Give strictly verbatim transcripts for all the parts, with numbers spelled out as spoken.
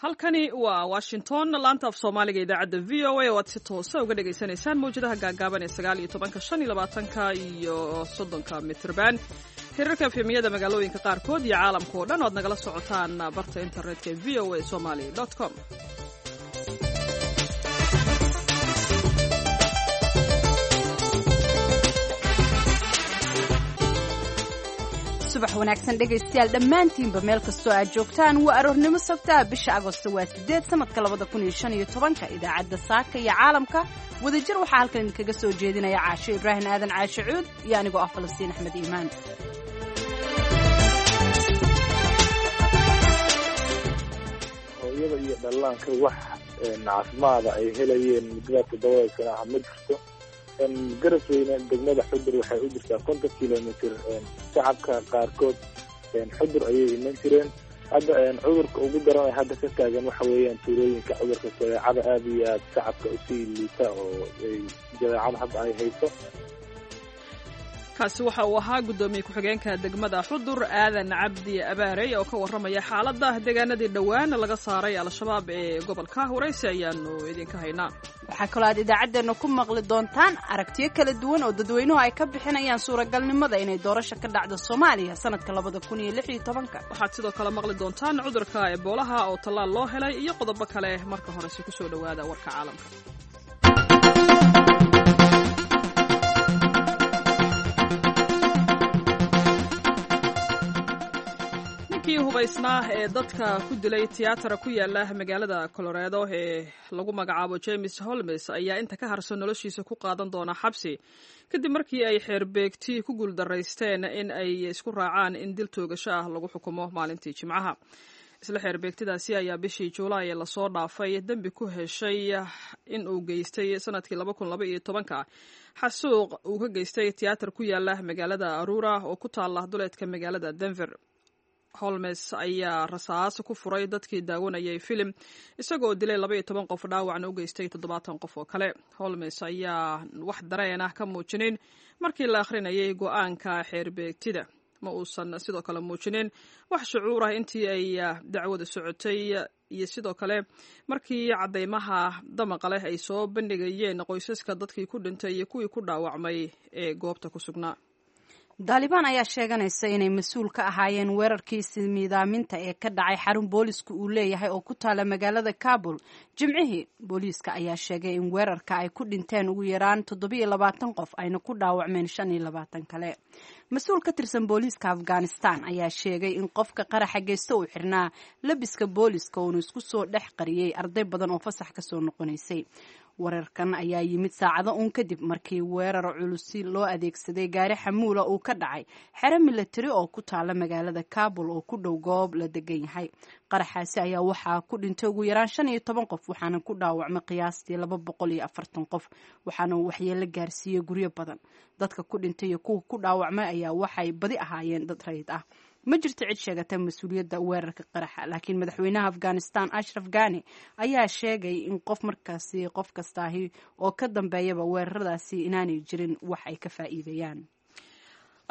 Halkani waa Washington, laanta af Soomaaliga, idaacadda V O A oo aad si toosa uga dhagaysanaysaan mawjadaha gaagaaban ee sagaal iyo tobanka, shan iyo labaatanka iyo soddonka mitrban, hirarka F M-yada magaalooyinka qaarkood iyo caalamka oo dhan o aad nagala socotaan barta internetka e V O A somali com. Subax wanaagsan, dhegaystayaal dhammaantiinba, meel kastoo aad joogtaan. Waa aroornimo sabtaa, bisha Agosto waa sideed, sanadka labada kun iyo shan iyo tobanka. Idaacadda Saaka iyo Caalamka wadajir waxaa halkan idinkaga soo jeedinaya Caasho Ibraahim Aadan, Caashe Cuud, iyo anigoo ah Falastiin Axmed Iimaan. Hooyada iyo dhallaanka wax caafimaada ay helayeen muddada toddobada sana ah ma jirto. Garasweyne degmada Xudur waxay u jirtaa konton kilomitr. Shacabka qaarkood Xudur ayay iman jireen. Hadda cudurka ugu daran ee hadda ka taagan waxa weeyaan tuulooyinka cudurka jadeecada aada iyo aada shacabka usii liita oo ay jadeecada hadda ay hayso. Kaasi waxa uu ahaa guddoomiye ku-xigeenka degmada Xudur, Aadan Cabdi Abaarey, oo ka warramaya xaaladda deegaanadii dhowaan laga saaray Al-Shabaab ee gobolka. Waraysi ayaanu idinka haynaa. Waxaa kaloo aad idaacaddeenna ku maqli doontaan aragtiyo kala duwan oo dadweynuhu ay ka bixinayaan suuragalnimada inay doorasho ka dhacdo Soomaaliya sanadka labada kun iyo lix iyo tobanka. Waxaad sidoo kale maqli doontaan cudurka Eboolaha oo tallaal loo helay iyo qodobo kale. Marka horese kusoo dhowaada warka caalamka. Ninkii hubaysnaa ee dadka ku dilay tiyaatara ku yaala magaalada Colorado ee lagu magacaabo James Holmes ayaa inta ka harsan noloshiisa ku qaadan doona xabsi, kadib markii ay xeerbeegti ku guuldaraysteen in ay isku raacaan in dil toogasho ah lagu xukumo maalintii Jimcaha. Isla xeerbeegtidaasi ayaa bishii Juulaay ee lasoo dhaafay dembi ku heshay in uu geystay sanadkii laba kun laba iyo tobanka xasuuq uu ka geystay tiyaatar ku yaala magaalada Aurora oo ku taala duleedka magaalada Denver. Holmes ayaa rasaas ku furay dadkii daawanayay filim, isagoo dilay laba iyo toban qof, dhaawacna u geystay toddobaatan qof oo kale. Holmes ayaa wax dareen ah ka muujinin markii la akhrinayay go-aanka xeerbeegtida. Ma uusan sidoo kale muujinin wax shucuur ah intii ay dacwada socotay iyo sidoo kale markii caddaymaha damaqa leh ay soo bandhigayeen qoysaska dadkii ku dhintay iyo kuwii ku dhaawacmay ee goobta ku sugnaa. Daalibaan ayaa sheeganaysa inay mas-uul ka ahaayeen weerarkii ismiidaaminta ee ka dhacay xarun boolisku uu leeyahay oo ku taala magaalada Kabul Jimcihii. Booliiska ayaa sheegay in weerarka ay ku dhinteen ugu yaraan toddobiyo labaatan qof, ayna ku dhaawacmeen shan iyo labaatan kale. Mas-uul ka tirsan booliiska Afghanistan ayaa sheegay in qofka qaraxa geysta uu xirnaa labiska booliiska, uuna isku soo dhex qariyey arday badan oo fasax kasoo noqonaysay. Weerarkan ayaa yimid saacado uun kadib markii weerar culusi loo adeegsaday gaari xamuula uu ka dhacay xero milatari oo ku taala magaalada Kabul oo ku dhow goob la degan yahay. Qaraxaasi ayaa waxaa ku dhintay ugu yaraan shan iyo toban qof, waxaana ku dhaawacmay qiyaastii laba boqol iyo afartan qof, waxaana uu waxyeelo gaarsiiyey guryo badan. Dadka ku dhintay iyo kuwa ku dhaawacmay ayaa waxay badi ahaayeen dad rayid ah. Ma jirto cid sheegata mas-uuliyadda weerarka qaraxa, laakiin madaxweynaha Afghanistan, Ashraf Ghani, ayaa sheegay in qof markaasi qof kastaahi oo ka dambeeyaba weeraradaasi inaanay jirin wax ay ka faa'iidayaan.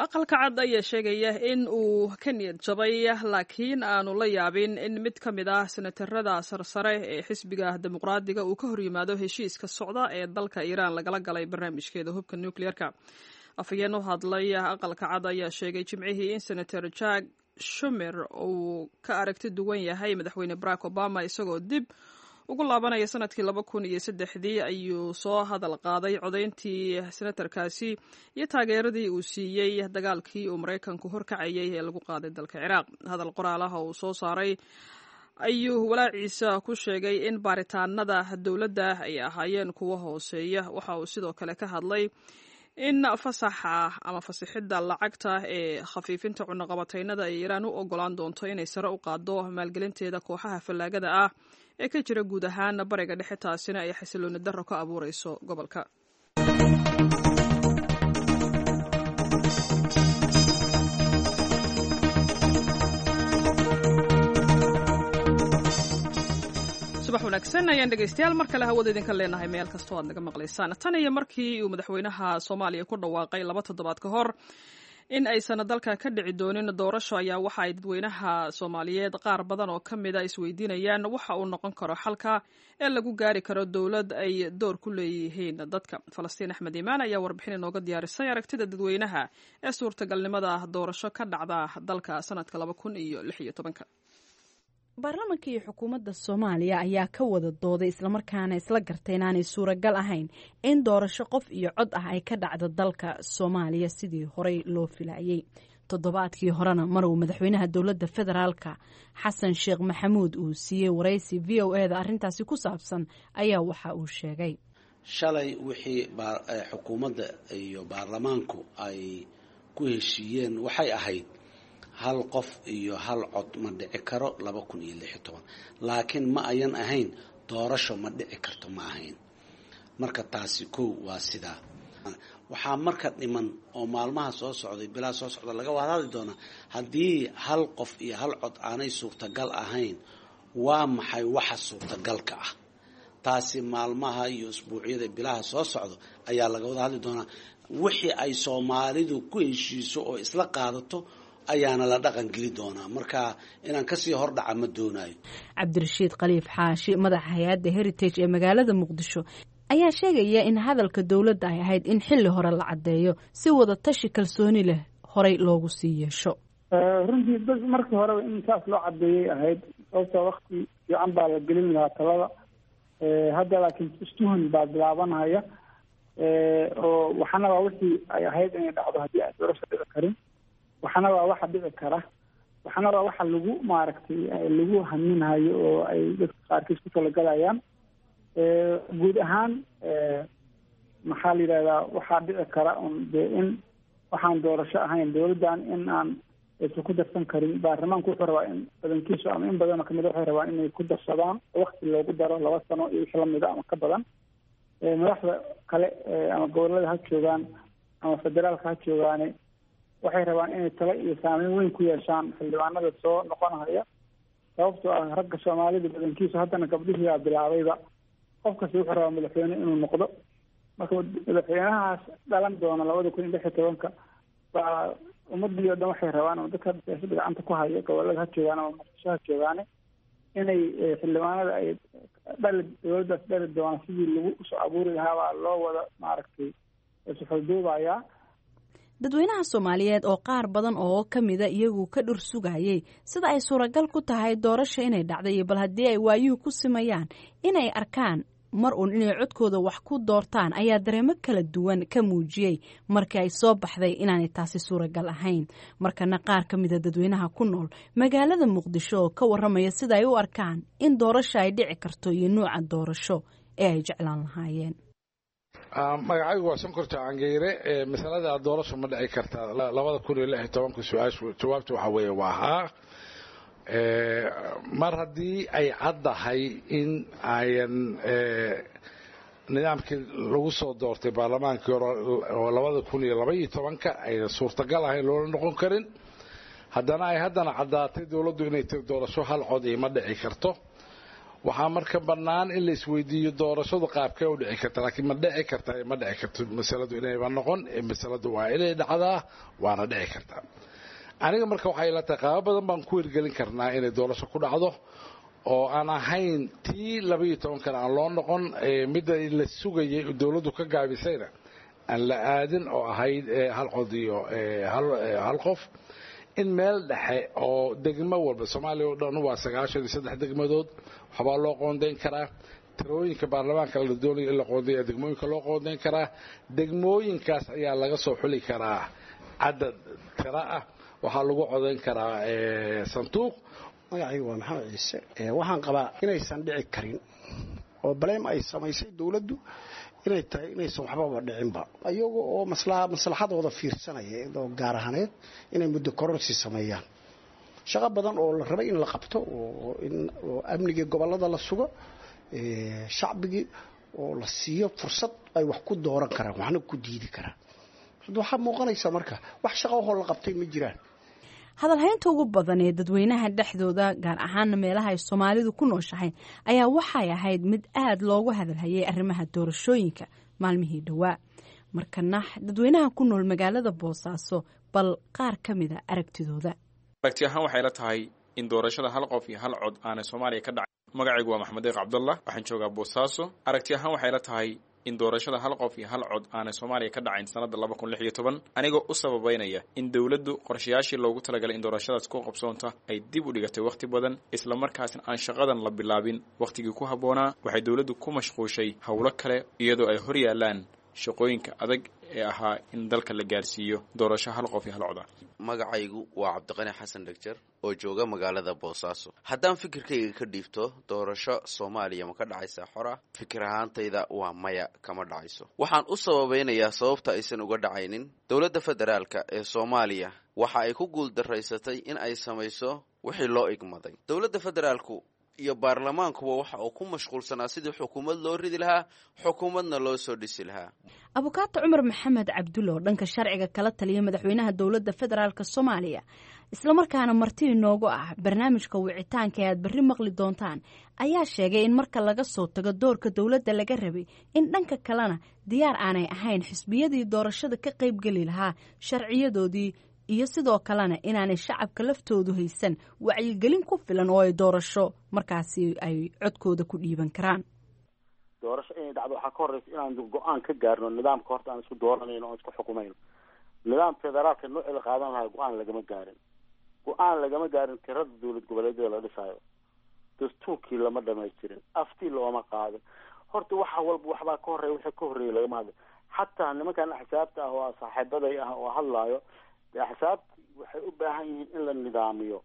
Aqalka Cad ayaa sheegaya in uu ka niyad jabay, laakiin aanu la yaabin in mid ka mid ah senatarada sarsare ee xisbiga Dimuqraadiga uu ka horyimaado heshiiska socda ee dalka Iiraan lagala galay barnaamijkeeda hubka nukliyeerka. Afhayeen u hadlay Aqalka Cad ayaa sheegay Jimcihii in Senator Jack Shumer uu ka aragti duwan yahay madaxweyne Barack Obama. Isagoo dib ugu laabanaya sanadkii laba kun iyo saddexdii ayuu soo hadal qaaday codayntii senatarkaasi iyo taageeradii uu siiyey dagaalkii uu Maraykanku horkacayay ee lagu qaaday dalka Ciraaq. Hadal qoraal ah oo uu soo saaray ayuu walaaciisa ku sheegay in baaritaanada dowladda ay ahaayeen kuwo hooseeya. Waxa uu sidoo kale ka hadlay in fasaxa ama fasixidda lacagta ee khafiifinta cunaqabataynada ay Iiraan u ogolaan doonto inay sare u qaaddo maalgelinteeda kooxaha fallaagada ah ee ka jira guud ahaan Bariga Dhexe, taasina ay xasilooni darro ka abuureyso gobolka. Subax wanaagsan ayaan, dhegaystayaal, mar kale hawada idinka leenahay meel kastoo aad naga maqlaysaan. Tan iyo markii uu madaxweynaha Soomaaliya ku dhawaaqay laba toddobaad ka hor In aysan dalka ka dhici doonin doorasho ayaa waxa ay dadweynaha Soomaaliyeed qaar badan oo ka mida isweydiinayaan waxa uu noqon karo xalka ee lagu gaari karo dowlad ay door ku leeyihiin dadka. Falastiin Axmed Iimaan ayaa warbixin inooga diyaarisay aragtida dadweynaha ee suurtagalnimada doorasho ka dhacda dalka sanadka laba kun iyo lix iyo tobanka. Baarlamanka iyo xukuumadda Soomaaliya ayaa ka wada dooday islamarkaana isla gartay inaanay suuragal ahayn in doorasho qof iyo cod ah ay ka dhacdo dalka Soomaaliya sidii horey loo filayay. Toddobaadkii horena mar uu madaxweynaha dowladda federaalka Xasan Sheekh Maxamuud uu siiyey waraysi V O e da arrintaasi ku saabsan ayaa waxa uu sheegay: Shalay wixii xukuumadda iyo baarlamaanku ay ku heshiiyeen waxay ahayd hal qof iyo hal cod ma dhici karo laba kun iyo lix iyo toban, laakiin ma ayan ahayn doorasho ma dhici karto, ma ahayn. Marka taasi kow waa sidaa. Waxaa marka dhiman oo maalmaha soo socday, bilaa soo socda, laga wada hadli doonaa haddii hal qof iyo hal cod aanay suurtagal ahayn, waa maxay waxa suurtagalka ah? Taasi maalmaha iyo isbuucyada, bilaha soo socdo ayaa laga wada hadli doonaa. Wixii ay Soomaalidu ku heshiiso oo isla qaadato ayaana la dhaqan geli doonaa. Marka inaan kasii hordhaca ma doonayo. Cabdirashiid Khaliif Xaashi, madaxa hay-adda Heritage ee magaalada Muqdisho, ayaa sheegaya in hadalka dowladda ay ahayd in xilli hore la caddeeyo si wada tashi kalsooni leh horey loogu sii yeesho. Runtii bas markii horeba in saas loo caddeeyay ahayd, sababta wakti fiican baa la gelin lahaa talada hadda, laakiin istuhun baa bilaabanhaya oo waxana waa wixii ay ahayd inay dhacdo haddii aan doorasho dhici karin, waxana waa waxa dhici kara, waxana waa waxa lagu maaragtay lagu haminhayo oo ay dadka qaarkiis ku talagalayaan. Guud ahaan maxaa la yidhahdaa, waxaa dhici kara un dee in waxaan doorasho ahayn dowladdan in aan aysan ku darsan karin. Baarlamaanku wuxuu rabaa in badankiisu ama in badanoo kamid waxay rabaan inay ku darsadaan, wakti loogu daro laba sano iyo wixii lamida ama ka badan. Madaxda kale ama gobolada ha joogaan ama federaalka ha joogaane, waxay rabaan inay talo iyo saameyn weyn ku yeeshaan xildhibaanada soo noqonhaya, sababtoo ah ragga Soomaalida badankiisu, haddana gabdhihii baa bilaabayba, qof kasta wuxuu rabaa madaxweyne inuu noqdo. Marka madaxweynahaas dhalan doona labada kun iyo lix iyo tobanka baa ummadii o dhan waxay rabaan, ama dadka siyaasadda gacanta ku haya gobolada ha joogaan ama Muqdisho ha joogaane, inay xildhibaanada ay dhali dowladdaas dhali doona sidii lagu usoo abuuri lahaa baa loo wada maaragtay isuxulduubayaa. Dadweynaha Soomaaliyeed oo qaar badan oo ka mida iyagu ka dhur sugayay sida ay suuragal ku tahay doorasha inay dhacday iyo bal haddii ay waayuhu ku simayaan inay arkaan mar uun inay codkooda wax ku doortaan, ayaa dareemo kala duwan ka muujiyey markii ay soo baxday inaanay taasi suuragal ahayn. Markana qaar ka mida dadweynaha ku nool magaalada Muqdisho oo ka waramaya sida ay u arkaan in doorasho ay dhici karto iyo nuuca doorasho ee ay jeclaan lahaayeen. Magacaygu waa Sonkorta Cangeyre. Masalada doorasho ma dhici kartaa labada kun iyo lix iyo tobanka, su-aashu jawaabta waxaa weeye waa haa. Mar haddii ay caddahay in ayan nidaamkii lagu soo doortay baarlamaankii hore oo labada kun iyo laba iyo tobanka ayna suurtagal ahayn, loola noqon karin, haddana ay haddana caddaatay dowladdu inay tiri doorasho hal cod iyo ma dhici karto, waxaa marka bannaan in la isweydiiyo doorashadu qaabkee u dhici karta. Laakiin ma dhici karta, ma dhici karto masaladu inayba noqon. Masaladu waa inay dhacdaa, waana dhici kartaa. Aniga marka waxay ila tahay qaabo badan baan ku hirgelin karnaa inay doorasho ku dhacdo oo aan ahayn tii labaiyo tobankana aan loo noqon, midda la sugayay dowladdu ka gaabisayna aan la aadin, oo ahayd hal cod iyo hal qof. In meel dhexe oo degmo walba, Soomaaliya oo dhan waa sagaashan iyo saddex degmadood, waxbaa loo qoondayn karaa tirooyinka baarlamaanka la doonayo in la qoondeeya, degmooyinka loo qoondayn karaa. Degmooyinkaas ayaa laga soo xuli karaa cadad tira ah, waxaa lagu codayn karaa sanduuq. Magacaygu waa Maxamed Ciise. Waxaan qabaa inaysan dhici karin oo baleem ay samaysay dowladdu inay tahay inaysan waxbaba dhicinba, iyaga oo maslaxadooda fiirsanaya oo gaar ahaaneed inay muddo kororsi sameeyaan. Shaqo badan oo la rabay in la qabto oo in oo amnigii gobollada la sugo, shacbigii oo la siiyo fursad ay wax ku dooran karaan waxna ku diidi karaan, hadda waxaa muuqanaysa marka wax shaqo ahoo la qabtay ma jiraan. Hadalhaynta ugu badan ee dadweynaha dhexdooda, gaar ahaana meelaha ay Soomaalidu ku nooshahay, ayaa waxay ahayd mid aad loogu hadalhayay arrimaha doorashooyinka maalmihii dhowaa. Markana dadweynaha ku nool magaalada Boosaaso Bal qaar ka mida aragtidooda. Aragti ahaan waxay la tahay in doorashada hal qof iyo hal cod aanay Soomaaliya ka dhacay. Magacaygu waa Maxamed Deeq Cabdallah, waxaan joogaa Boosaaso. Aragti ahaan waxay la tahay in doorashada hal qof iyo hal cod aanay Soomaaliya ka dhacayn sanadda laba kun lix iyo toban, anigoo u sababeynaya in dowladdu qorshayaashii loogu talagalay in doorashadaas ku qabsoonta ay dib u dhigatay wakhti badan, islamarkaasna aan shaqadan la bilaabin wakhtigii ku habboonaa. Waxay dowladdu ku mashquushay howlo kale iyadoo ay hor yaallaan shaqooyinka adag ee ahaa in dalka la gaarsiiyo doorasho hal qof iyo hal cod ah. Magacaygu waa Cabdiqani Xasan Dhegjer oo jooga magaalada Boosaaso. Haddaan fikirkayga ka dhiibto doorasho Soomaaliya ma ka dhacaysaa xor ah, fikir ahaantayda waa maya, kama dhacayso. Waxaan u sababeynayaa sababta aysan uga dhacaynin: dowladda federaalka ee Soomaaliya waxa ay ku guuldaraysatay in ay samayso wixii loo igmaday. Dowladda federaalku iyo baarlamaankuba waxa uu ku mashquulsanaa sidii xukuumad loo ridi lahaa, xukuumadna loo soo dhisi lahaa. Abukaato Cumar Maxamed Cabdulle oo dhanka sharciga kala taliya madaxweynaha dowladda federaalk Soomaaliya, islamarkaana marti inoogu ah barnaamijka wicitaanka ee aad berri maqli doontaan, ayaa sheegay in marka laga soo tago doorka dowladda laga rabay, in dhanka kalena diyaar aanay ahayn xisbiyadii doorashada ka qaybgeli lahaa sharciyadoodii, iyo sidoo kalena inaanay shacabka laftoodu haysan wacyigelin ku filan oo ay doorasho markaasi ay codkooda ku dhiiban karaan. Doorasho inay dhacdo waxaa ka horeysa inaan go-aan ka gaarno nidaamka horta aan isku dooranayno oon isku xukumayno. Nidaam federaalka noocii la qaadan lahaa go-aan lagama gaarin, go-aan lagama gaarin tirada dowlad goboleedyada la dhisaayo, dastuurkii lama dhamaystirin, aftii looma qaadin. Horta waxa walba waxbaa ka horreeya, wixii ka horreeya lagama hadlay. Xataa nimankan axsaabta ah oo saaxiibaday ah oo hadlaayo, axsaabti waxay u baahan yihiin in la nidaamiyo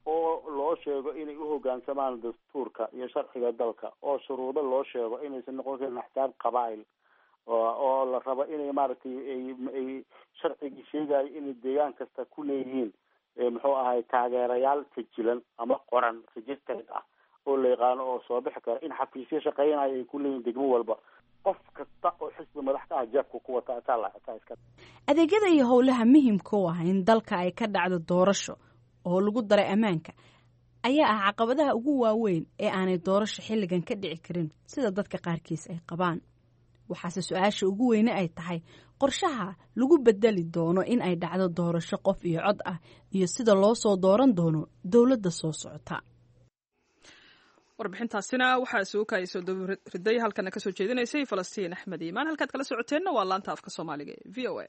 oo loo sheego inay uhogaansamaan dastuurka iyo sharciga dalka, oo shuruudo loo sheego inaysan noqon karin axsaab qabaa'il oo la rabo inay maaragtay ay sharcigii sheegayo inay deegaan kasta ku leeyihiin muxuu ahay taageerayaal sajilan ama qoran, registered ah, oo la yaqaano oo soo bixi kara, in xafiisyo shaqeynayo ay ku leeyihiin degmo walba. Qof kasta oo xisbi madax ka ah jeebku ku wata iska. Adeegyada iyo howlaha muhiimka u ah in dalka ay ka dhacdo doorasho oo lagu daray ammaanka ayaa ah caqabadaha ugu waaweyn ee aanay doorasho xilligan ka dhici karin sida dadka qaarkiis ay qabaan. Waxaase su-aasha ugu weyne ay tahay qorshaha lagu bedeli doono in ay dhacdo doorasho qof iyo cod ah iyo sida loo soo dooran doono dowladda soo socota. Warbixintaasina waxaa isugu soo dabariday halkana kasoo jeedinaysay Falastiin Axmed Iimaan. Halkaad kala socoteenna waa laanta afka Soomaaliga ee V O A.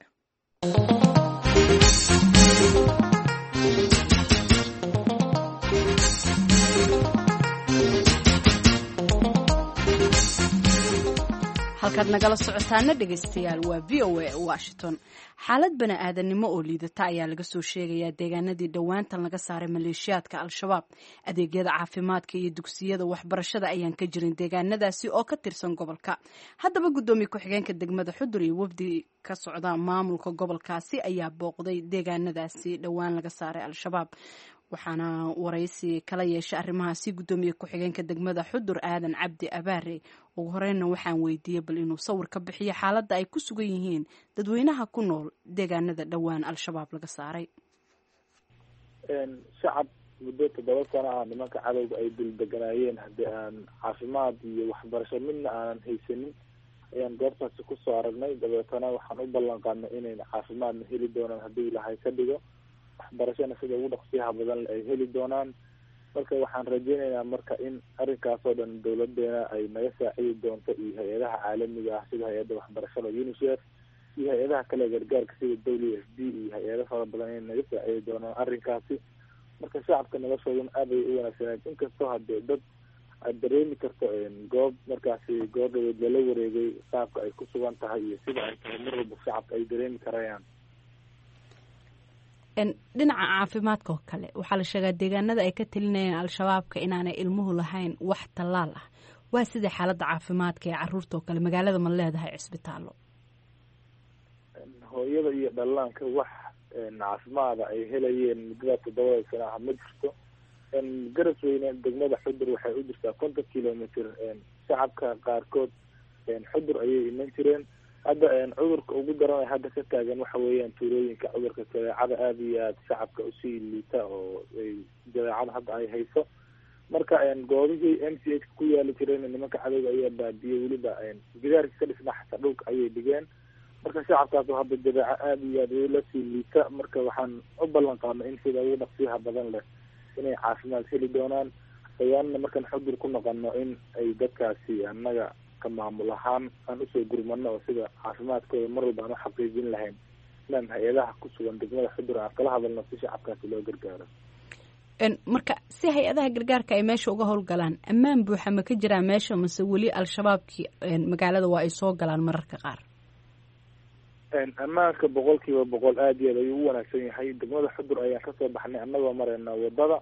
Halkaad nagala socotaana, dhegaystayaal, waa V O A Washington. Xaalad bani aadamnimo oo liidata ayaa laga soo sheegayaa deegaanadii dhowaantan laga saaray maleeshiyaadka Al-Shabaab. Adeegyada caafimaadka iyo dugsiyada waxbarashada ayaan ka jirin deegaanadaasi oo ka tirsan gobolka. Haddaba guddoomiye ku-xigeenka degmada Xudur iyo wafdi ka socda maamulka gobolkaasi ayaa booqday deegaanadaasi dhowaan laga saaray Al-Shabaab, waxaana waraysi kala yeeshay arrimahaasi guddoomiye ku-xigeenka degmada Xudur, Aadan Cabdi Abaare. Ugu horeyna waxaan weydiiyey bal inuu sawir ka bixiyo xaaladda ay ku sugan yihiin dadweynaha ku nool deegaanada dhowaan Al-Shabaab laga saaray. Shacab muddo toddoba sano ah nimanka cadowga ay dul deganaayeen, haddii aan caafimaad iyo waxbarasho midna aanan haysanin, ayaan goobtaasi kusoo aragnay. Dabeetana waxaan u ballan qaadnay inayna caafimaadna heli doonaan haddii Ilaahay ka dhigo, waxbarashana sida ugu dhaqsiyaha badan ay heli doonaan. Marka waxaan rajeynaynaa marka in arrinkaas oo dhan dowladeena ay naga saacidi doonto iyo hay-adaha caalamiga ah sida hay-adda waxbarashada UNICEF iyo hay-adaha kale gargaarka sida W F P iyo hay-ado fara badan inay naga saacidi doonaan arrinkaasi. Marka shacabka noloshooduna aad ay u wanaagsaneed, inkastoo hadee dad aad dareemi karto goob markaasi goor dhaweed lala wareegay qaabka ay ku sugan tahay iyo sida ay tahay, mar walba shacabka ay dareemi karayaan. Dhinaca caafimaadka oo kale, waxaa la sheegaa deegaanada ay ka talinayeen Al-Shabaabka inaanay ilmuhu lahayn wax tallaal ah. Waa sidai xaaladda caafimaadka ee caruurta oo kale? Magaalada ma leedahay cisbitaallo? Hooyada iyo dhallaanka wax caafimaada ay helayeen muddada toddobada sano ah ma jirto. Garasweyne degmada Xudur waxay u jirtaa konton kilomitr. Shacabka qaarkood Xudur ayay iman jireen. Hadda cudurka ugu daran hadda ka taagan waxa weeyaan tuulooyinka cudurka jadeecada aada iyo aada shacabka usii liita oo ay jadeecada hadda ay hayso. Marka goobihii M C H ku yaali jireen nimanka cadowga ayaa baabiyey, weliba gidaarkii ka dhisnaa xataa dhulka ayay dhigeen. Marka shacabkaas oo hadda jabeeco aada iyo aad ula sii liita, marka waxaan u ballan qaadnay in sida ugu dhaqsiyaha badan leh inay caafimaad heli doonaan. Dhawaanna markaan Xudur ku noqono in ay dadkaasi annaga ka maamul ahaan aan usoo gurmano oo sida caafimaadkooda mar walba aan uxaqiijin lahayn inaan hay-adaha ku sugan degmada Xudur aan kala hadalno si shacabkaasi loo gargaaro. Marka si hay-adaha gargaarka ay meesha uga howlgalaan, ammaan buuxa ma ka jiraa meesha, mase weli Al-Shabaabkii magaalada waa ay soo galaan mararka qaar? Ammaanka boqol kiiba boqol aada iyo aad ayuu u wanaagsan yahay. Degmada Xudur ayaan kasoo baxnay annagoo marayna wadada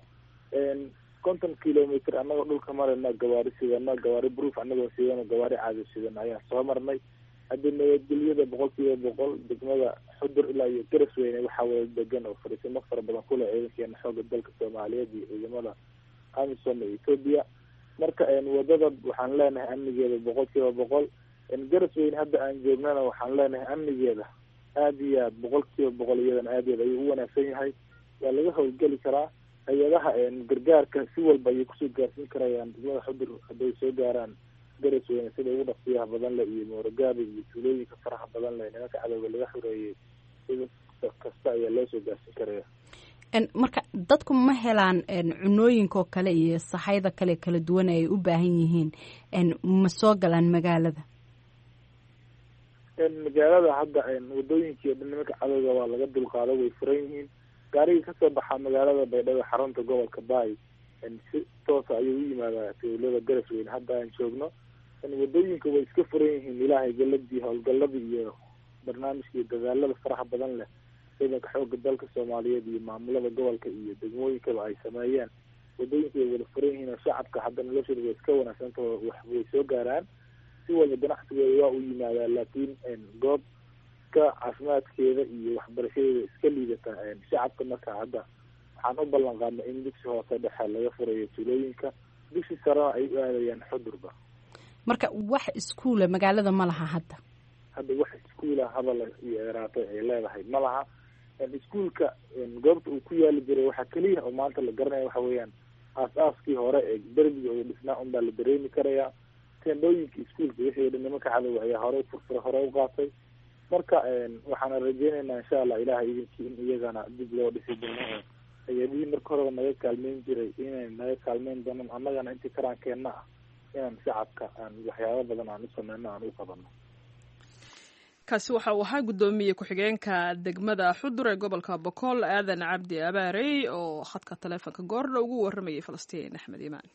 konton kilomitr, annagoo dhulka marayna, gawaari sidano, gawaari proof annagoo sidano, gawaari caadi sidano ayaan soo marnay. Hadda nabadgelyada boqol kiiba boqol degmada Xudur ilaa iyo Garasweyne waxaa wada degan oo fariisimo fara badan kule ciidankeena xooga dalka Soomaaliyeed iyo ciidamada AMISOM ee Ethiopia. Marka wadada waxaan leenahay amnigeeda boqol kiiba boqol. Garasweyne hadda aan joognana waxaan leenahay amnigeeda aada iyo aad boqol kiiba boqol, iyadana aad iyo aad ayuu u wanaagsan yahay, waa laga howlgeli karaa. Hay-adaha gargaarka si walba ayay kusoo gaarsiin karayaan degmada Xudur hadday soo gaaraan Garasweyne sida ugu dhaqsiyaha badan leh, iyo Moorogaabi iyo tuulooyinka faraha badan leh nimanka cadowga laga xoreeyey, sida kasta ayaa loo soo gaarsiin karaya. Marka dadku ma helaan cunooyinka oo kale iyo sahayda kale kala duwan ay u baahan yihiin, ma soo galaan magaalada? Magaalada hadda wadooyinkii o dhan nimanka cadowga waa laga dulqaado, way furan yihiin. Gaarigii kasoo baxaa magaalada Baydhabo, xarunta gobolka Baay, si toosa ayuu u yimaadaa tuulada Garasweyne hadda aan joogno. Wadooyinka way iska furan yihiin, ilaahay galadii howlgaladii iyo barnaamijkii dadaalada faraha badan leh ciidanka xooga dalka Soomaaliyeed iyo maamulada gobolka iyo degmooyinkaba ay sameeyeen, wadooyinka way wada furan yihiin oo shacabka hadda noloshooda way iska wanaagsantaho, wax way soo gaaraan si walba, ganacsigooda waa u yimaadaa. Laakiin goob ka caafimaadkeeda iyo waxbarashadeeda iska liidata shacabka, marka hadda waxaan u ballan qaadnay in dugsi hoose dhexe laga furayo tuulooyinka, dugsi sarena ay u aadayaan Xudurba. Marka wax iskuula magaalada ma laha hadda? Hadda wax iskuula hadal iyo eraatay ay leedahay ma laha. Iskuulka goobta uu ku yaali jiray waxaa keliya oo maanta la garanaya waxa weeyaan aas-aaskii hore ee derbiga uu dhisnaa unbaa la dareemi karayaa. Teendhooyinka iskuulka wixii dhan nimanka cadowga ayaa hore ufurfuray, hore u qaatay. Marka waxaana rajeynaynaa insha Allah ilahay idinkii in iyagana dib loo dhisi doono oo hay-adihii marka horeba naga kaalmeyn jiray inay naga kaalmeyn doonaan, annagana intii karaankeenna ah inaan shacabka aan waxyaabo badan aan u sameyno, aan u qabano. Kaasi waxa uu ahaa guddoomiye ku-xigeenka degmada Xudur ee gobolka Bokool, Aadan Cabdi Abaarey, oo khadka taleefonka goordha ugu warramayay Falastiin Axmed Iimaan.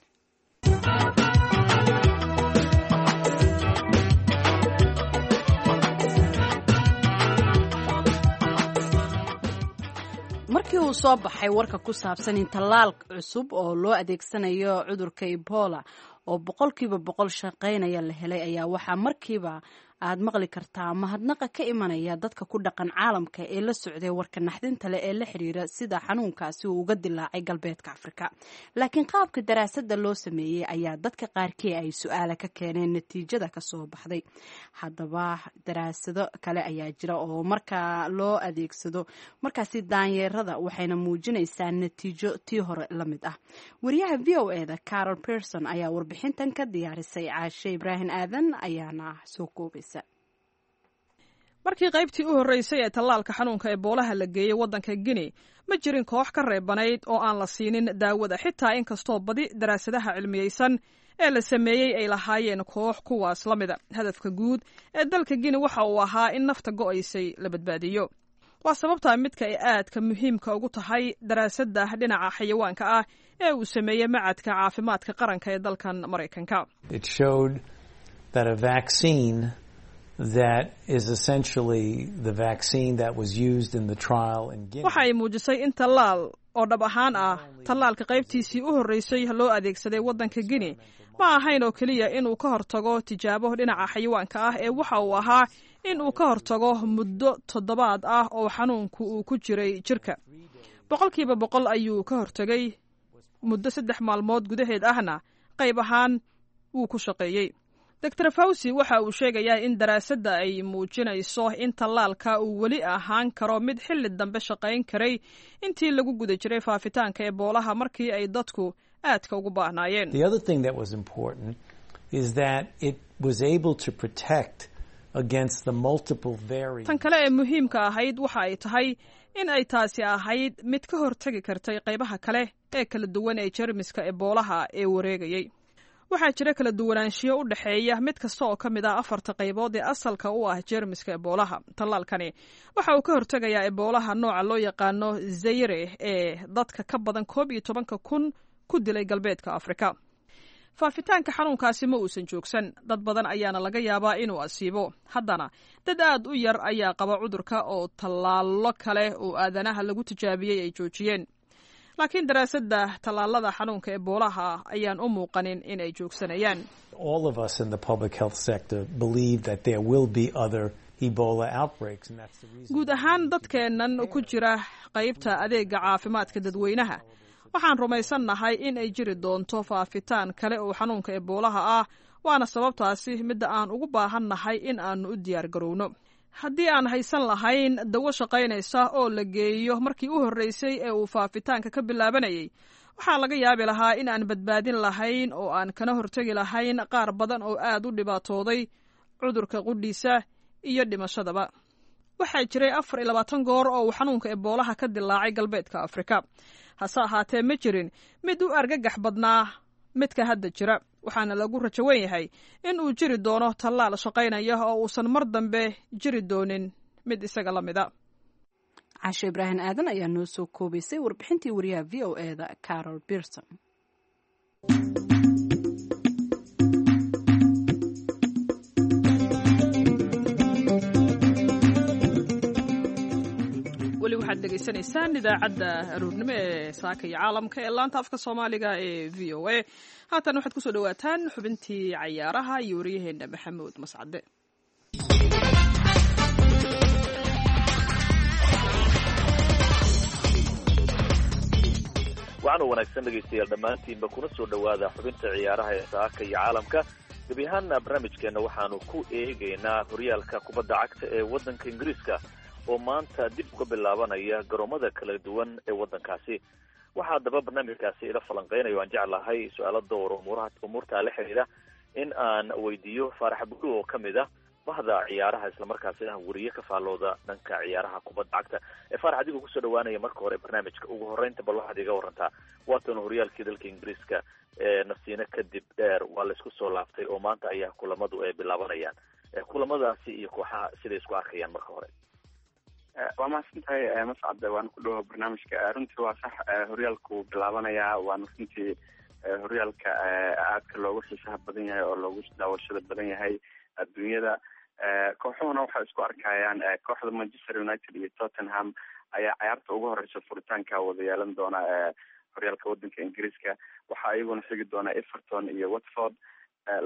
Markii uu soo baxay warka ku saabsan in tallaal cusub oo loo adeegsanayo cudurka Ebola oo boqolkiiba boqol shaqaynaya la helay, ayaa waxaa markiiba aad maqli kartaa mahadnaqa ka imanaya dadka ku dhaqan caalamka ee la socday warka naxdinta leh ee la xiriira sida xanuunkaasi uu uga dilaacay galbeedka Afrika. Laakiin qaabka daraasadda loo sameeyey ayaa dadka qaarkii ay su-aala ka keeneen natiijada kasoo baxday. Haddaba daraasado kale ayaa jira oo markaa loo adeegsado markaasi daanyeerada, waxayna muujinaysaa natiijo tii hore la mid ah. Wariyaha V O e da Carol Pearson ayaa warbixintan ka diyaarisay, Caashe Ibraahim Aadan ayaana soo koobaysa. Markii qaybtii u horreysay ee tallaalka xanuunka eboolaha la geeyey waddanka Guinea, ma jirin koox ka reebanayd oo aan la siinin daawada, xitaa inkastoo badi daraasadaha cilmiyeysan ee la sameeyey ay lahaayeen koox kuwaas la mida. Hadafka guud ee dalka Guinea waxa uu ahaa in nafta go'aysay la badbaadiyo. Waa sababtaa midka ay aadka muhiimka ugu tahay daraasadda dhinaca xayawaanka ah ee uu sameeyey macadka caafimaadka qaranka ee dalkan Maraykanka. That is essentially the vaccine that was used in the trial in Guinea. Waxa ay muujisay in tallaal oo dhab ahaan ah tallaalka qaybtiisii u horreysay loo adeegsaday waddanka Guinea ma ahayn oo keliya inuu ka hortago tijaabo dhinaca xayawaanka ah, ee waxa uu ahaa in uu ka hortago muddo toddobaad ah oo xanuunku uu ku jiray jirka. Boqolkiiba boqol ayuu ka hortagay, muddo saddex maalmood gudaheed ahna qayb ahaan wuu ku shaqeeyey. Doctor Fauci waxa uu sheegayaa in daraasadda ay muujinayso in tallaalka uu weli ahaan karo mid xilli dambe shaqayn karay intii lagu guda jiray faafitaanka eboolaha, markii ay dadku aadka ugu baahnaayeen. The other thing that was important is that it was able to protect against the multiple variants. Tan kale ee muhiimka ahayd waxa ay tahay in ay taasi ahayd mid ka hortegi kartay qaybaha kale ee kala duwan ee jeermiska eboolaha ee wareegayay. Waxaa jira kala duwanaanshiyo u dhexeeya mid kasta oo ka mid ah afarta qaybood ee asalka u ah jeermiska eboolaha. Tallaalkani waxa uu ka hortegayaa eboolaha nooca loo yaqaano Zaire ee dadka ka badan koob iyo tobanka kun ku dilay galbeedka Afrika. Faafitaanka xanuunkaasi ma uusan joogsan, dad badan ayaana laga yaabaa inuu asiibo. Haddana dad aad u yar ayaa qaba cudurka oo tallaallo kale oo aadanaha lagu tijaabiyey ay joojiyeen. Laakiin daraasadda tallaalada xanuunka eboolaha ayaan u muuqanin in ay joogsanayaan. All of us in the public health sector believe that there will be other Ebola outbreaks, and that's the reason. Guud ahaan dadkeennan ku jira qaybta adeega caafimaadka dadweynaha waxaan rumaysannahay in ay jiri doonto faafitaan kale oo xanuunka eboolaha ah, waana sababtaasi midda aan ugu baahannahay in aanu u diyaar garowno. Haddii aan haysan lahayn dawo shaqaynaysa oo la geeyo markii u horreysay ee uu faafitaanka ka bilaabanayay, waxaa laga yaabi lahaa in aan badbaadin lahayn oo aan kana hortegi lahayn qaar badan oo aad u dhibaatooday cudurka qudhiisa iyo dhimashadaba. Waxaa jiray afar iyo labaatan goor oo uu xanuunka eboolaha ka dilaacay galbeedka Afrika. Hase ahaatee ma jirin mid u argagax badnaa midka hadda jira, waxaana lagu rajo weyn yahay in uu jiri doono tallaal shaqaynaya oo uusan mar dambe jiri doonin mid isaga la mida. Caashe Ibraahim Aadan ayaa noo soo koobaysay warbixintii wariyaha V O E da Carol Pearson. Weli waxaad dhegaysanaysaan idaacadda aroornimo ee saaka iyo caalamka ee laanta afka Soomaaliga ee V O A. Haatan waxaad kusoo dhawaataan xubintii cayaaraha iyo waryaheena Maxamuud Mascade. Waxaana wanaagsan dhegaystayaal dhammaantiinba kuna soo dhowaada xubinta ciyaaraha ee saaka iyo caalamka. Gebi ahaanna barnaamijkeenna waxaanu ku eegaynaa horyaalka kubadda cagta ee waddanka Ingiriiska oo maanta dib uga bilaabanaya garoomada kala duwan ee waddankaasi. Waxaa haddaba barnaamijkaasi ila falanqeynayo aan jeclahay su-aalo dhowr umuuraha umuurtaa la xidhiidha in aan weydiiyo Faarax Bulu oo ka mid ah bahda ciyaaraha, islamarkaasina weriye ka faallooda dhanka ciyaaraha kubadda cagta. Faarax, adigoo kusoo dhawaanaya marka hore barnaamijka, ugu horreynta bal waxaad iga warantaa waatan horyaalkii dalka Ingiriiska ee nasiino kadib dheer waa laisku soo laabtay oo maanta ayaa kulamadu ay bilaabanayaan, kulamadaasi iyo kooxaha siday isku arkayaan marka hore? Waa mahadsan tahay Mascade, waana ku dhawo barnaamijka. Runtii waa sax, horyaalku bilaabanayaa, waana runtii horyaalka aadka loogu xiisaha badan yahay oo loogu daawashada badan yahay adduunyada. Kooxuhuna waxay isku arkayaan kooxda Manchester United iyo Tottenham ayaa cayaarta ugu horeysa furitaanka wada yeelan doona horyaalka wadanka Ingiriiska. Waxaa iyaguna xigi doona Everton iyo Watford,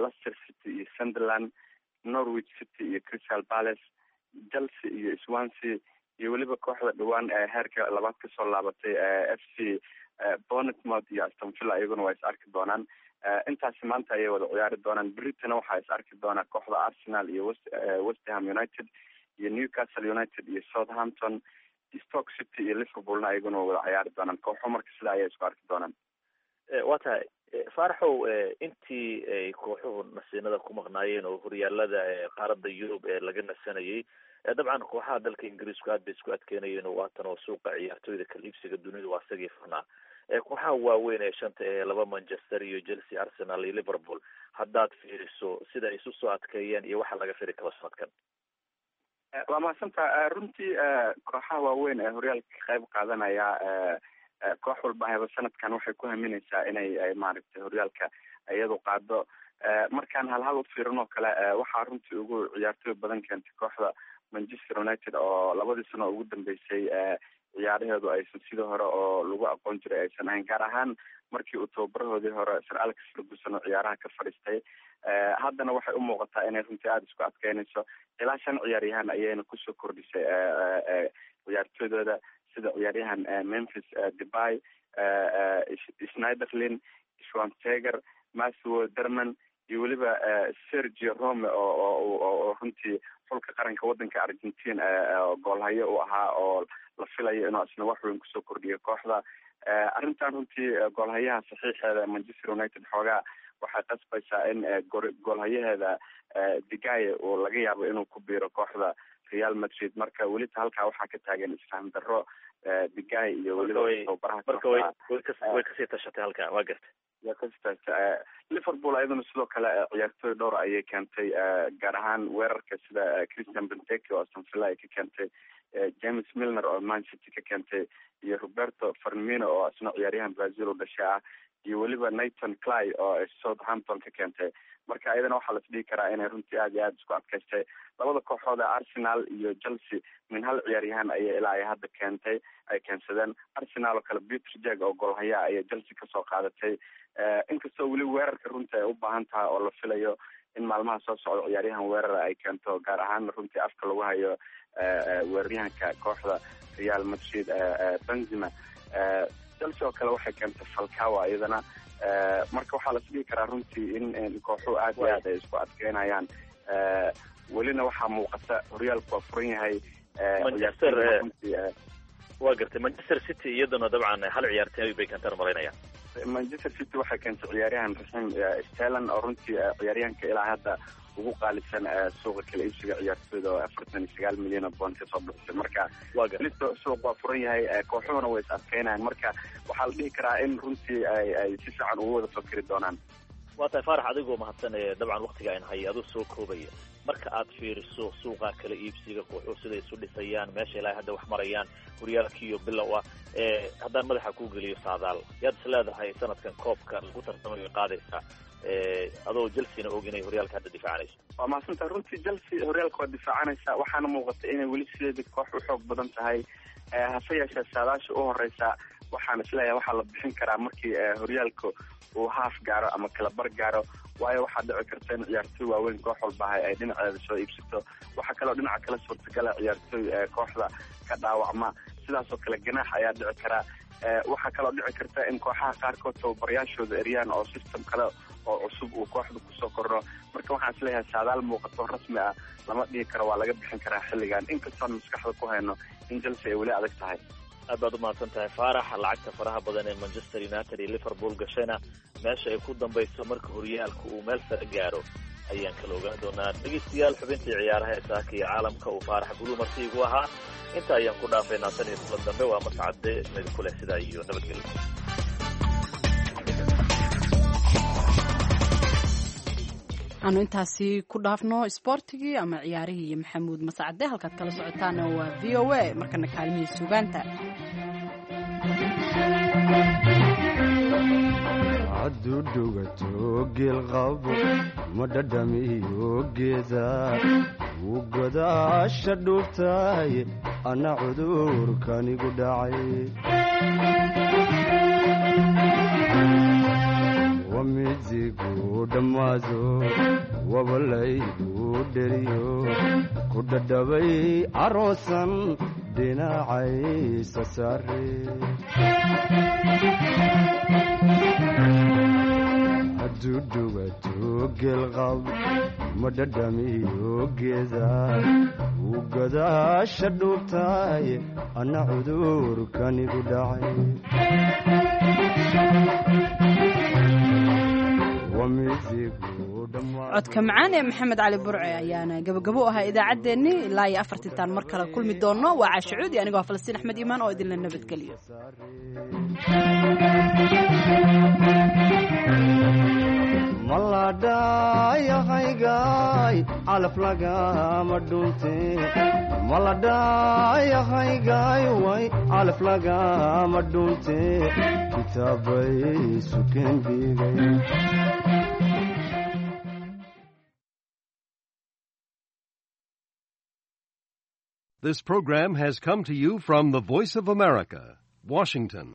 Leicester City iyo Sunderland, Norwich City iyo Crystal Palace, Chelsea iyo Swansea, iyo weliba kooxda dhawaan heerka labaad kasoo laabatay F C Bournemouth iyo Aston Villa, iyaguna waa is arki doonaan. Intaasi maanta ayay wada ciyaari doonaan. Britain waxaa is arki doonaa kooxda Arsenal iyo West West Ham United iyo Newcastle United iyo Southampton, Stoke City iyo Liverpoolna iyaguna waa wada ciyaari doonaan. Kooxo marka sidaa ayay isku arki doonaan. Waa tahay Faaraxow, intii ay kooxuhu nasiinada ku maqnaayeen oo horyaalada qaaradda Yurub ee laga nasanayay, dabcan kooxaha dalka Ingiriisku aad bay isku adkeynayeen oo waatan oo suuqa ciyaartooyda kala iibsiga dunida waa isagii furnaa. Kooxaha waaweyn ee shanta ee laba Manchester iyo Chelsea, Arsenal iyo Liverpool, haddaad fiiriso sida ay isu soo adkeeyeen iyo waxa laga firi karo sanadkan? Waa mahadsantaha. Runtii kooxaha waaweyn ee horyaalka ka qayb qaadanaya, koox walba hayba sanadkan waxay ku haminaysaa inay maaragtay horyaalka iyadu qaado. Markaan hal hal u fiirin oo kale, waxaa runtii ugu ciyaartooy badan keentay kooxda Manchester United oo labadii sano ugu dambeysay ciyaaraheedu aysan sidii hore oo lagu aqoon jiray aysan ahayn, gaar ahaan markii uu tababarahoodii hore Sir Alex Ferguson oo ciyaaraha ka fadhiistay. Haddana waxay u muuqataa inay runtii aada isku adkeynayso. Ilaa shan ciyaaryahan ayayna kusoo kordhisay ciyaartooydooda, sida ciyaaryahan Memphis Depay, Schneiderlin, Schweinsteiger, Matthew Derman iyo weliba Sergio Rome oo oo runtii xulka qaranka wadanka Argentina goolhayo u ahaa oo la filayo inuu isna wax weyn kusoo kordhiyo kooxda. Arrintan runtii goolhayaha saxiixeeda Manchester United xoogaa Waxay qasbaysaa in goolhayaheeda Digaye uu laga yaabo inuu ku biiro kooxda Real Madrid. Marka welita halkaa waxaa ka taagan isfaham darro Digaye iyo weliba tababaraha. Marka way way kasii tashatay halkaa, waa gartay. Way kasii tashatay Liverpool. Ayaduna sidoo kale ciyaartooy dhowr ayay keentay, gaar ahaan weerarka, sida Christian Benteke oo Aston Villa ay ka keentay, James Milner oo Man City ka keentay, iyo Roberto Firmino oo isna ciyaaryahan Brazil u dhashay ah, iyo weliba Nathan Cly oo Southampton ka keentay. Marka iyadana waxaa las dhihi karaa inay runtii aad iyo aada isku adkaystay. Labada kooxood ee Arsenal iyo Chelsea min hal ciyaaryahan ayay ilaa ay hadda keentay ay keensadeen. Arsenal oo kale Peter Jag oo goolhayaa ayay Chelsea kasoo qaadatay, inkastoo weli weerarka runtii ay u baahan tahay oo la filayo in maalmaha soo socda ciyaaryahan weerara ay keento, gaar ahaan runtii afka lagu hayo weeraryahanka kooxda Real Madrid, Benzema. Chelsea oo kale waxay keentay Falcao iyadana. Marka waxaa las dhihi karaa runtii in kooxuhu aad iyo aad ay isku adkeynayaan. Welina waxaa muuqata horyaalku waa furan yahay. Manchester, waa gartay, Manchester City iyaduna dabcan hal ciyaartooy bay keentaan malaynaya. Manchester City waxay keentay ciyaaryahan Raheem Sterling oo runtii ciyaaryahanka ilaa hadda ugu qaalisan suuqa kala iibsiga ciyaartooyda, oo afartan iyo sagaal milyan oo bond kasoo bixisay. Marka weli suuq waa furan yahay, kooxuhuna way is adkeynayaan. Marka waxaa la dhihi karaa in runtii ay ay si fiican ugu wada fakeri doonaan. Waa tahay Faarax, adigoo mahadsan. Dabcan waktiga ayn hay aduu soo koobaya, marka aad fiiriso suuqa kala iibsiga, kooxuhu siday isu dhisayaan, meesha ilaa hadda wax marayaan, horyaalkiiyo bilow ah, haddaan madaxa kuu geliyo saadaal, yaad is leedahay sanadkan koobka lagu tartamayo qaadaysaa, adoo Chelsea-na og inay horyaalka hadda difaacanayso? Waa mahadsantaha. Runtii Chelsea horyaalka waa difaacanaysa, waxaana muuqata inay weli sideeda koox u xoog badan tahay. Hase yeeshee saadaasha u horeysa waxaan isleeyahay waxaa la bixin karaa markii horyaalka uu haaf gaaro ama kala bar gaaro, waayo waxaa dhici karta in ciyaartooy waaweyn koox walbahay ay dhinaceeda soo iibsato. Waxaa kaloo dhinaca kale suurtagala ciyaartooy kooxda ka dhaawacma, sidaasoo kale ganaax ayaa dhici karaa. Waxaa kaloo dhici karta in kooxaha qaarkood tababarayaashooda eryaan oo system kale oo cusub uu kooxda kusoo kordho. Marka waxaan isleeyahay saadaal muuqato rasmi ah lama dhihi karo waa laga bixin karaa xilligan, inkastoon maskaxda ku hayno in Chelsea ay weli adag tahay. Aad baad umahadsan tahay Faarax. Lacagta faraha badan ee Manchester United iyo Liverpool gashayna meesha ay ku dambayso marka horyaalka uu meel sare gaaro ayaan kala ogaan doonaa. Dhegeystayaal, xubintii ciyaaraha ee saaka iyo caalamka uu Faarax Bulu marti igu ahaa inta ayaan ku dhaafaynaa. Tan iyo kulan dambe, waa Mascade idinku leh sidaa iyo nabadgelyo. Aanu intaasi ku dhaafno isboortigii ama ciyaarihii iyo Maxamuud Mascade. Halkaad kala socotaana waa V O A. Markana kaalmihii sugaanta. Hadduu dhugato geelqabo ma dhadhamiyo geeda, wuu godaasha dhuubtahay anna cudurkanigu dhacay. Wamidigu dhammaado wabalaygu dheriyo ku dhadhabay caroosan dhinacaysa saare. Hadduu dhugato geelqab ma dhadhamiyo geeda, wuu godaasha dhuubtahay anna cudurkanigu dhacay. Codka macaan ee Maxamed Cali Burce ayaana gabagabo u ahaa idaacaddeenni. Ilaa iyo afartintaan mar kale kulmi doonno, waa Caashe Cuudi anigoo Falastiin Axmed Iimaan oo idinla nabadgeliyo. Maladhayahaygaay calaf lagama dhunte, maladhayahaygaay way calaf lagama dhunte, kitaabay sukeen dhigay. This program has come to you from the Voice of America, Washington.